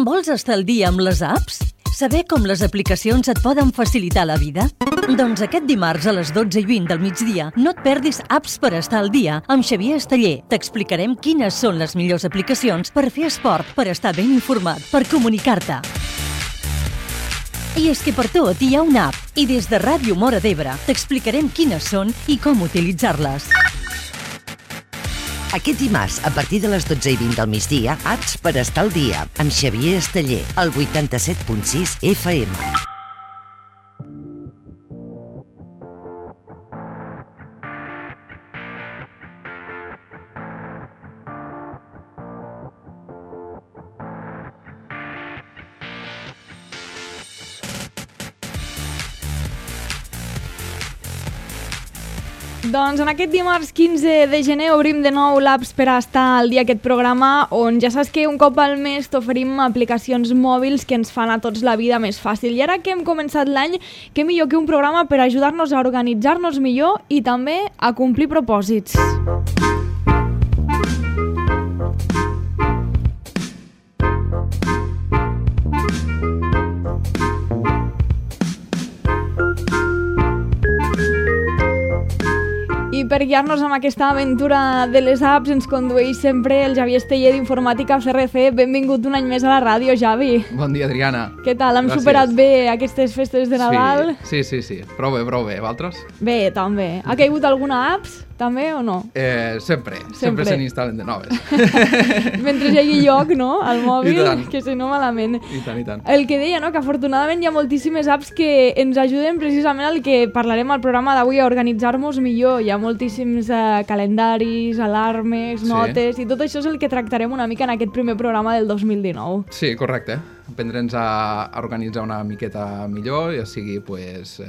Vols estar al dia amb les apps? Saber com les aplicacions et poden facilitar la vida? Doncs aquest dimarts a les 12:20 del migdia no et perdis Apps per estar al dia amb Xavier Esteller. T'explicarem quines són les millors aplicacions per fer esport, per estar ben informat, per comunicar-te. I és que per tot hi ha una app i des de Ràdio Móra d'Ebre t'explicarem quines són i com utilitzar-les. Aquest dimarts, a partir de les 12:20 del migdia, Apps per estar al dia, amb Xavier Esteller, al 87.6 FM. Doncs en aquest dimarts 15 de gener obrim de nou l'Apps per a estar al dia, aquest programa on ja saps que un cop al mes t'oferim aplicacions mòbils que ens fan a tots la vida més fàcil. I ara que hem començat l'any, què millor que un programa per ajudar-nos a organitzar-nos millor i també a complir propòsits. I per guiar-nos amb aquesta aventura de les apps ens condueix sempre el Xavier Esteller d'Informàtica CRC. Benvingut un any més a la ràdio, Xavi. Bon dia, Adriana. Què tal? Hem superat bé aquestes festes de Nadal? Sí. Prou bé. Vosaltres? Bé, també. Ha caigut alguna apps, també, o no? Sempre se n'instal·len de noves. Mentre hi hagi lloc, no?, al mòbil, que si no malament. I tant. El que deia, no?, que afortunadament hi ha moltíssimes apps que ens ajuden precisament al que parlarem al programa d'avui, a organitzar-nos millor. Hi ha moltíssims calendaris, alarmes, notes, i tot això és el que tractarem una mica en aquest primer programa del 2019. Sí, correcte. Aprendre'ns a organitzar una miqueta millor, ja sigui pues,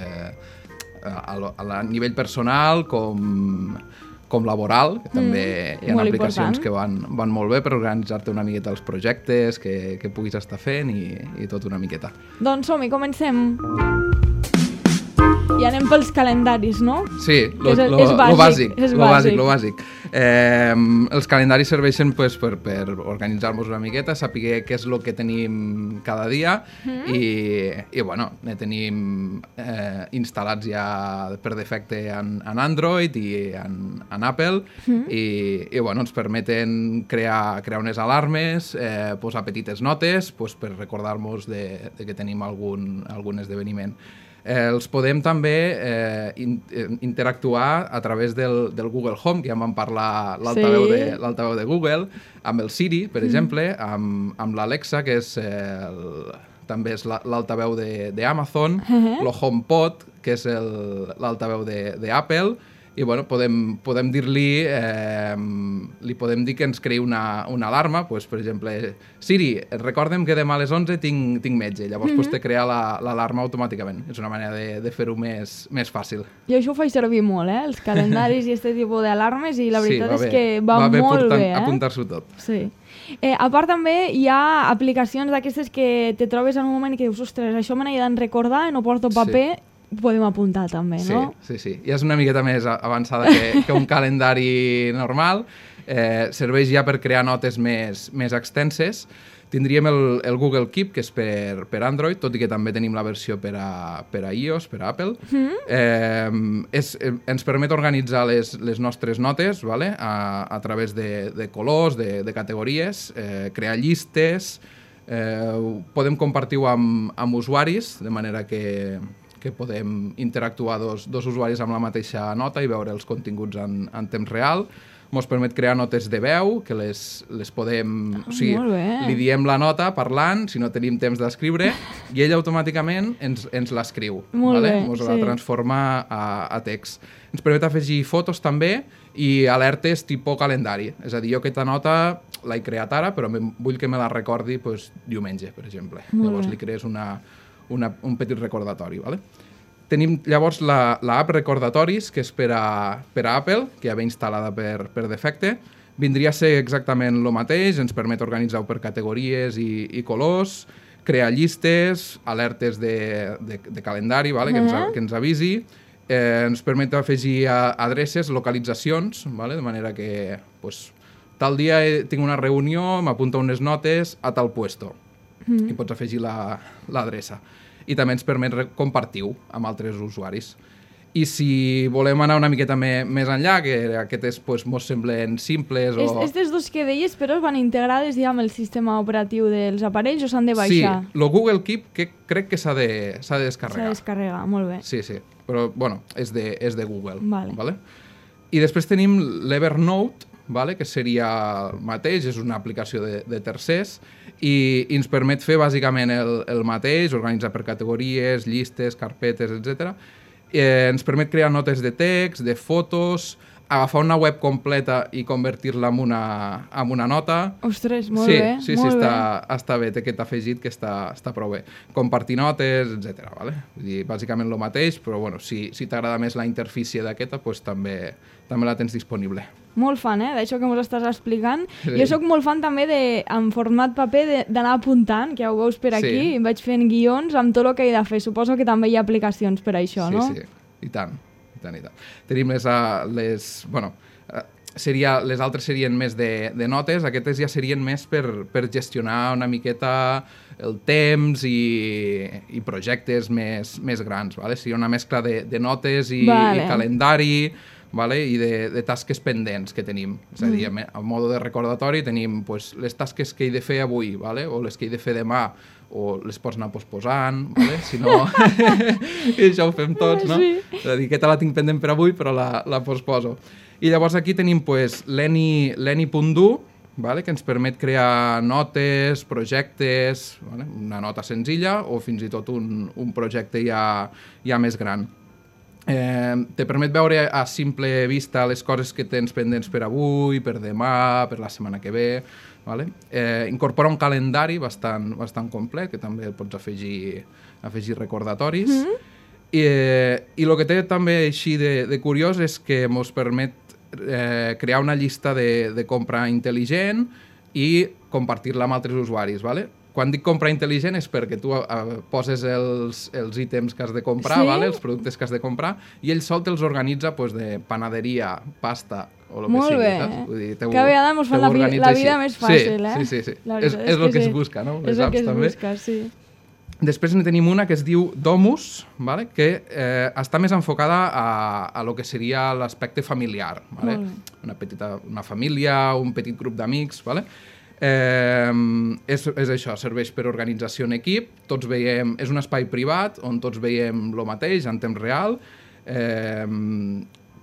a nivell personal com laboral, que també hi ha aplicacions que van molt bé per organitzar-te una miqueta els projectes que puguis estar fent i tot una miqueta. Doncs som-hi, comencem. I anem pels calendaris, no? Sí, lo bàsic. Els calendaris serveixen pues, per organitzar-nos una miqueta, saber què és el que tenim cada dia i bueno, ne tenim instal·lats ja per defecte en Android i en Apple i bueno, ens permeten crear unes alarmes, posar petites notes pues, per recordar-nos de que tenim algun esdeveniment. Els podem també interactuar a través del Google Home, que ja en vam parlar l'altaveu de Google, amb el Siri, per exemple, amb l'Alexa, que també és l'altaveu d'Amazon, el HomePod, que és l'altaveu d'Apple, i bueno, podem dir-li podem dir que ens creï una alarma, pues, per exemple, Siri, recorda'm que demà a les 11 tinc metge, llavors te crea l'alarma automàticament. És una manera de fer-ho més fàcil. Jo això ho faig servir molt, els calendaris i aquest tipus d'alarmes, i la veritat és que va molt bé. Apuntar-s'ho tot. Sí. A part també hi ha aplicacions d'aquestes que te trobes en un moment i que dius, ostres, això me n'he de recordar, no porto paper, podem apuntar també, no? Sí. Ja és una miqueta més avançada que un calendari normal. Serveix ja per crear notes més extenses. Tindríem el Google Keep, que és per Android, tot i que també tenim la versió per a iOS, per a Apple. Ens permet organitzar les nostres notes a través de colors, de categories, crear llistes, podem compartir-ho amb usuaris, de manera que podem interactuar dos usuaris amb la mateixa nota i veure els continguts en temps real. Ens permet crear notes de veu, que les podem... O sigui, li diem la nota parlant, si no tenim temps d'escriure, i ell automàticament ens l'escriu. Ens la transforma a text. Ens permet afegir fotos també i alertes tipus calendari. És a dir, jo aquesta nota l'he creat ara, però vull que me la recordi diumenge, per exemple. Llavors li crees un petit recordatori. Tenim llavors l'app Recordatoris, que és per a Apple, que ja ve instal·lada per defecte. Vindria a ser exactament el mateix, ens permet organitzar-ho per categories i colors, crear llistes, alertes de calendari, que ens avisi, ens permet afegir adreces, localitzacions, de manera que tal dia tinc una reunió, m'apunta unes notes a tal puesto. i pots afegir l'adreça. I també ens permet compartir-ho amb altres usuaris. I si volem anar una miqueta més enllà, que aquestes mos semblen simples o... Aquestes dos que deies, però van integrades ja amb el sistema operatiu dels aparells o s'han de baixar? Sí, el Google Keep que crec que s'ha de descarregar. S'ha de descarregar, molt bé. Sí, però bueno, és de Google. Vale. I després tenim l'Evernote, que seria el mateix, és una aplicació de tercers i ens permet fer bàsicament el mateix, organitzar per categories, llistes, carpetes, etc. Ens permet crear notes de text, de fotos, agafar una web completa i convertir-la en una nota. Ostres, molt bé. Sí, està bé, té aquest afegit que està prou bé. Compartir notes, etc. Vull dir, bàsicament el mateix, però bueno, si t'agrada més la interfície d'aquesta, també la tens disponible. Molt fan, d'això que ens estàs explicant. Sí. Jo sóc molt fan també en format paper d'anar apuntant, que ja ho veus per aquí, i vaig fent guions amb tot el que he de fer. Suposo que també hi ha aplicacions per això, no? Sí, i tant. Tenim les altres serien més de notes, aquestes ja serien més per gestionar una miqueta el temps i projectes més grans. Seria una mescla de notes i calendari i de tasques pendents que tenim. És a dir, a mode de recordatori tenim les tasques que he de fer avui o les que he de fer demà, o les pots anar posposant, si no... I això ho fem tots, no? És a dir, aquesta la tinc pendent per avui, però la posposo. I llavors aquí tenim l'Eni.do, que ens permet crear notes, projectes, una nota senzilla o fins i tot un projecte ja més gran. Te permet veure a simple vista les coses que tens pendents per avui, per demà, per la setmana que ve. Incorpora un calendari bastant complet, que també pots afegir recordatoris. I el que té també així de curiós és que ens permet crear una llista de compra intel·ligent i compartir-la amb altres usuaris. Quan dic compra intel·ligent és perquè tu poses els ítems que has de comprar, els productes que has de comprar, i ell sol te'ls organitza de panaderia, pasta o el que sigui. Molt bé. Cada vegada ens fan la vida més fàcil. Sí. És el que es busca, no? És el que es busca, sí. Després en tenim una que es diu Domus, que està més enfocada a lo que seria l'aspecte familiar. Una família, un petit grup d'amics. És això, serveix per organització en equip, tots veiem, és un espai privat on tots veiem el mateix en temps real,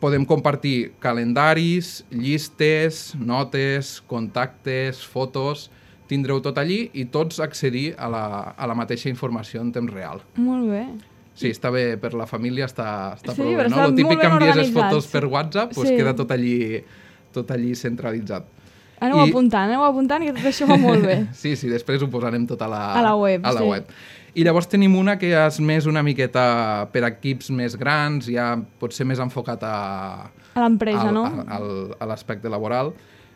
podem compartir calendaris, llistes, notes, contactes, fotos, tindreu tot allí i tots accedir a la mateixa informació en temps real. Molt bé. Sí, està bé per la família, està prou bé, no? El típic que envies les fotos per WhatsApp, queda tot allí centralitzat. Aneu apuntant, que tot això va molt bé. Sí, després ho posarem tot a la web. I llavors tenim una que és més una miqueta per equips més grans, ja pot ser més enfocat a l'empresa, no? A l'aspecte laboral.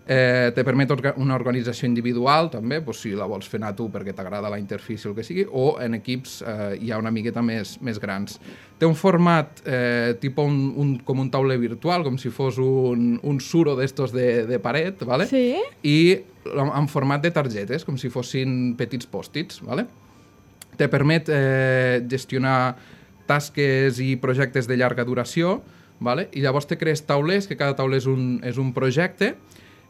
Te permet una organització individual, també, si la vols fer anar tu perquè t'agrada la interfície o el que sigui, o en equips ja una miqueta més grans. Té un format com un tauler virtual, com si fos un suro d'estos de paret, sí? I en format de targetes, com si fossin petits pòstits. Te permet gestionar tasques i projectes de llarga duració, i llavors te crees taulers, que cada tauler és un projecte,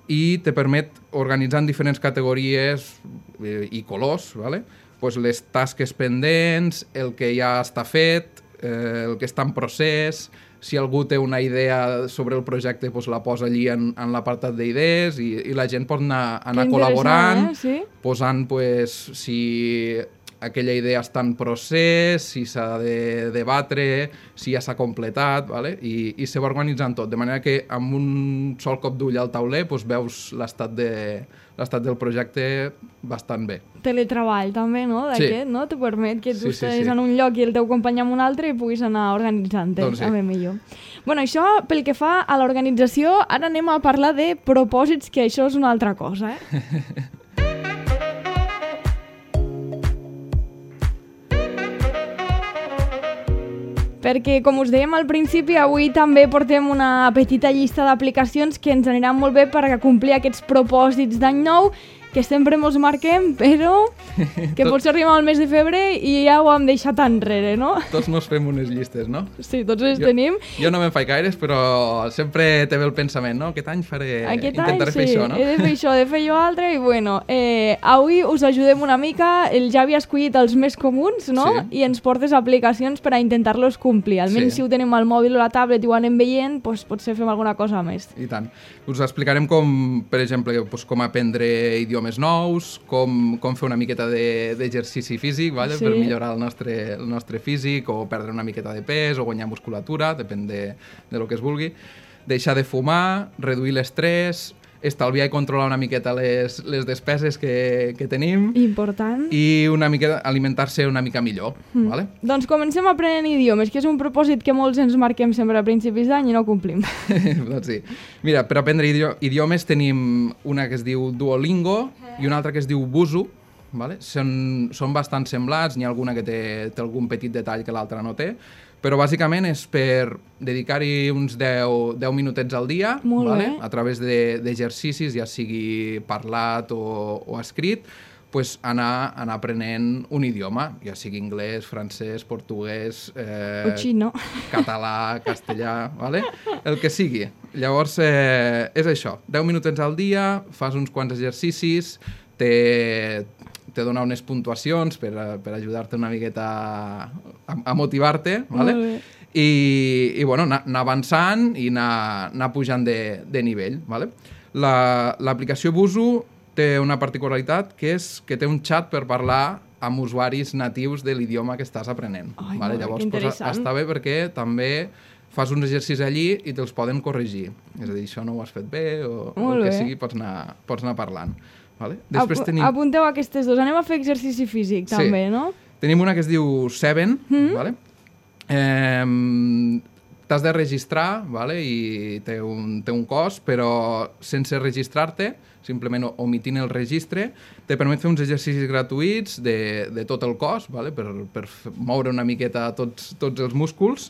i te permet organitzar en diferents categories i colors, les tasques pendents, el que ja està fet, el que està en procés, si algú té una idea sobre el projecte la posa allí en l'apartat d'idees i la gent pot anar col·laborant, posant si aquella idea està en procés, si s'ha de debatre, si ja s'ha completat, i se va organitzant tot, de manera que amb un sol cop d'ull al tauler veus l'estat del projecte bastant bé. Teletreball també, no? D'aquest, no? Te permet que tu estiguis en un lloc i el teu company en un altre i puguis anar organitzant-te, també millor. Bueno, això pel que fa a l'organització, ara anem a parlar de propòsits, que això és una altra cosa, perquè, com us dèiem al principi, avui també portem una petita llista d'aplicacions que ens aniran molt bé per complir aquests propòsits d'any nou, que sempre mos marquem, però que potser arribem al mes de febrer i ja ho hem deixat enrere, no? Tots nos fem unes llistes, no? Sí, tots les tenim. Jo no me'n faig gaires, però sempre té bé el pensament, no? Aquest any intentaré fer això, no? He de fer això, he de fer allò altre, i bueno, avui us ajudem una mica, el Javi ha escollit els més comuns, no? Sí. I ens portes aplicacions per a intentar-los complir. Almenys si ho tenim al mòbil o a la tablet i ho anem veient, doncs potser fem alguna cosa més. I tant. Us explicarem com, per exemple, com aprendre idiomes nous, com fer una miqueta d'exercici físic, vale? Per millorar el nostre físic, o perdre una miqueta de pes, o guanyar musculatura, depèn de lo que es vulgui. Deixar de fumar, reduir l'estrès, estalviar i controlar una miqueta les despeses que tenim. Important. I una miqueta alimentar-se una mica millor. Vale? Doncs comencem aprenent idiomes, que és un propòsit que molts ens marquem sempre a principis d'any i no complim. Doncs sí. Mira, per aprendre idiomes tenim una que es diu Duolingo i una altra que es diu Busuu. Vale? Són bastant semblats, n'hi ha alguna que té algun petit detall que l'altra no té, però bàsicament és per dedicar-hi uns 10 minutets al dia, vale? A través d'exercicis, ja sigui parlat o escrit, pues anar aprenent un idioma, ja sigui anglès, francès, portuguès, xino, català, castellà, vale? El que sigui. Llavors, és això, 10 minutets al dia, fas uns quants exercicis, te dona unes puntuacions per ajudar-te una miqueta a motivar-te, ¿vale? I bueno, anar avançant i anar pujant de nivell, ¿vale? L'aplicació Busuu té una particularitat, que és que té un xat per parlar amb usuaris natius de l'idioma que estàs aprenent. ¿Vale? Llavors, pues, està bé perquè també fas uns exercicis allí i te'ls poden corregir. És a dir, això no ho has fet bé, o el que sigui, pots anar parlant. Vale? Després Apunteu aquestes dues. Anem a fer exercici físic, també, no? Tenim una que es diu Seven, vale? T'has de registrar, vale? I té un cost, però sense registrar-te, simplement omitint el registre, te permet fer uns exercicis gratuïts de tot el cos, vale? Per moure una miqueta tots els músculs.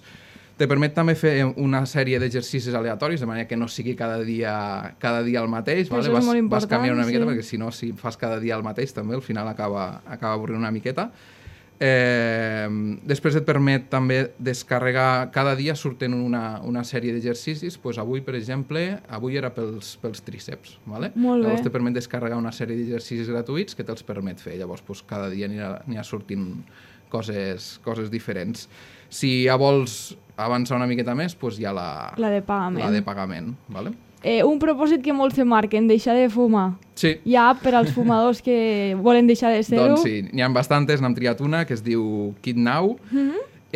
Te permet també fer una sèrie d'exercicis aleatoris, de manera que no sigui cada dia el mateix. Vale? Vas canviant una miqueta, perquè si no, si fas cada dia el mateix, també al final acaba avorrint una miqueta. Després et permet també descarregar, cada dia surten una sèrie d'exercicis. Pues avui, per exemple, era pels tríceps. Vale? Llavors te permet descarregar una sèrie d'exercicis gratuïts que te'ls permet fer. Llavors pues, cada dia n'hi ha sortint coses diferents. Si ja vols avançar una miqueta més, doncs hi ha la de pagament. La de pagament, vale? Un propòsit que molts se marquen, deixar de fumar. Sí. Hi ha per als fumadors que volen deixar de ser-ho? Doncs sí, n'hi ha bastantes, n'hem triat una que es diu Quit Now,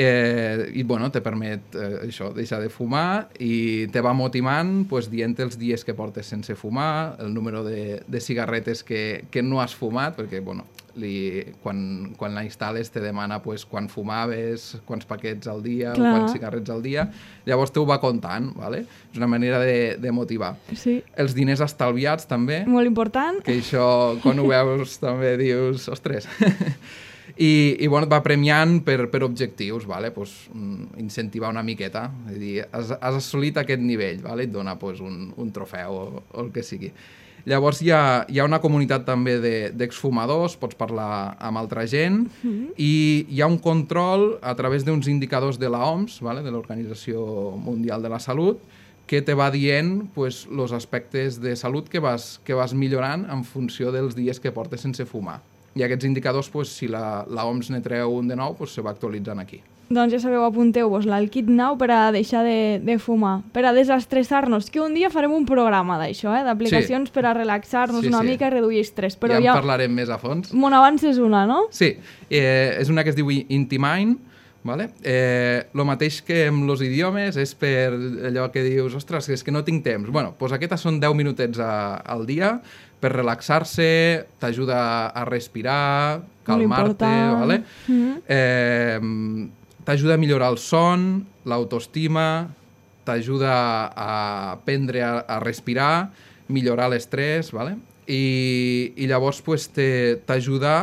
i bueno, te permet això, deixar de fumar, i te va motivant dient els dies que portes sense fumar, el número de cigarretes que no has fumat, perquè bueno, quan la instal·les te demana quan fumaves, quants paquets al dia, o quants cigarrets al dia, llavors t'ho va comptant, ¿vale? És una manera de motivar. Sí. Els diners estalviats també. Molt important. Que això, quan ho veus, també dius, ostres. I bueno, et va premiant per objectius, ¿vale? Incentivar una miqueta, és a dir, has assolit aquest nivell, ¿vale? Et dona un trofeu o el que sigui. Llavors hi ha una comunitat també d'exfumadors, pots parlar amb altra gent, i hi ha un control a través d'uns indicadors de l'OMS, ¿vale? De l'Organització Mundial de la Salut, que te va dient els aspectes de salut que vas millorant en funció dels dies que portes sense fumar. I aquests indicadors, si la OMS ne treu un de nou, se va actualitzant aquí. Doncs ja sabeu, apunteu-vos-la, el Quit Now per a deixar de fumar, per a desestressar-nos, que un dia farem un programa d'això, d'aplicacions per a relaxar-nos una mica i reduir estrès. Ja en parlarem més a fons. Mon abans és una, no? Sí, és una que es diu Intimine, vale? Lo mateix que amb els idiomes és per allò que dius, ostres, és que no tinc temps. Bueno, doncs aquestes són 10 minutets al dia per relaxar-se, t'ajuda a respirar, calmar-te, vale? T'ajuda a millorar el son, l'autoestima, t'ajuda a aprendre a respirar, millorar l'estrès, ¿vale? I llavors t'ajuda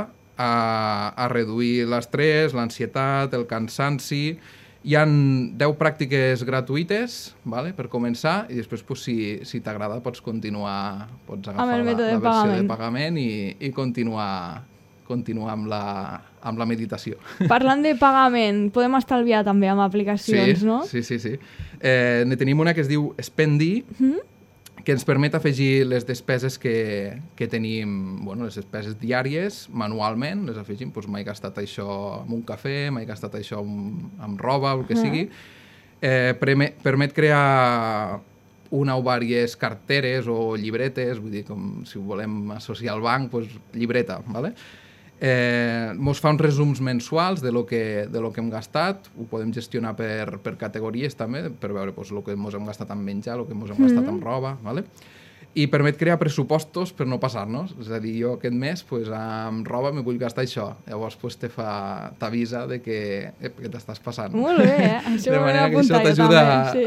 a reduir l'estrès, l'ansietat, el cansanci, Hi ha 10 pràctiques gratuïtes, vale, per començar, i després, pues, si t'agrada, pots agafar la versió de pagament i continuar amb la meditació. Parlant de pagament, podem estalviar també amb aplicacions, no? Sí. Ne tenim una que es diu Spendi, que ens permet afegir les despeses que tenim, les despeses diàries, manualment, les afegim, doncs m'he gastat això amb un cafè, m'he gastat això amb roba, el que sigui. Permet crear una o diverses carteres o llibretes, vull dir, com si ho volem associar al banc, doncs llibreta, ¿vale? Mos fa uns resums mensuals de lo que hem gastat, ho podem gestionar per categories també, per veure el que mos hem gastat en menjar, el que mos hem gastat en roba, ¿vale? I permet crear pressupostos per no passar-nos, és a dir, jo aquest mes amb roba me vull gastar això, llavors t'avisa de que t'estàs passant. Molt bé, això de manera que això t'ajuda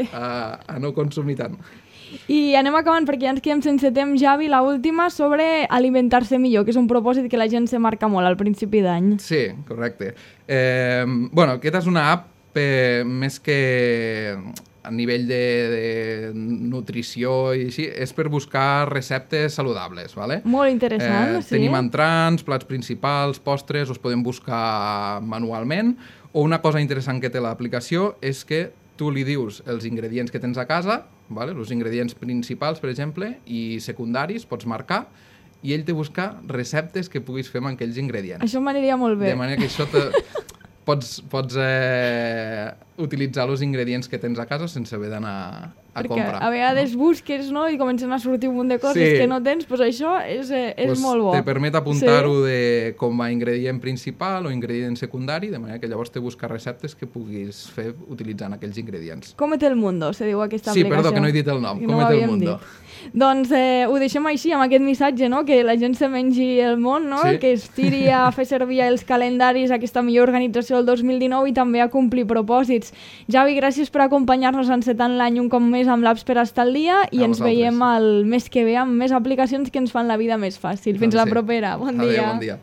a no consumir tant. I anem acabant perquè ja ens quedem sense temps, Javi, la última sobre alimentar-se millor, que és un propòsit que la gent se marca molt al principi d'any. Sí, correcte. Aquesta és una app més que a nivell de nutrició i així, és per buscar receptes saludables, ¿vale? Molt interessant, sí. Tenim entrants, plats principals, postres, els podem buscar manualment, o una cosa interessant que té l'aplicació és que tu li dius els ingredients que tens a casa, ¿vale? Els ingredients principals, per exemple, i secundaris, pots marcar, i ell te busca receptes que puguis fer amb aquells ingredients. Això m'aniria molt bé. De manera que això pots utilitzar els ingredients que tens a casa sense haver d'anar a comprar. Perquè a vegades busques, no?, i comencen a sortir un munt de coses que no tens, doncs això és molt bo. Te permet apuntar-ho com a ingredient principal o ingredient secundari, de manera que llavors te busca receptes que puguis fer utilitzant aquells ingredients. Cómete el mundo, se diu aquesta aplicació. Sí, perdó, que no he dit el nom. Cómete el mundo. Doncs ho deixem així, amb aquest missatge, no?, que la gent se mengi el món, no?, que es tiri a fer servir els calendaris, aquesta millor organització del 2019 i també a complir propòsits. Javi, gràcies per acompanyar-nos encetant l'any un cop més amb l'Apps per estar al dia i ens veiem el mes que ve amb més aplicacions que ens fan la vida més fàcil. Fins la propera. Bon dia. Adéu, bon dia.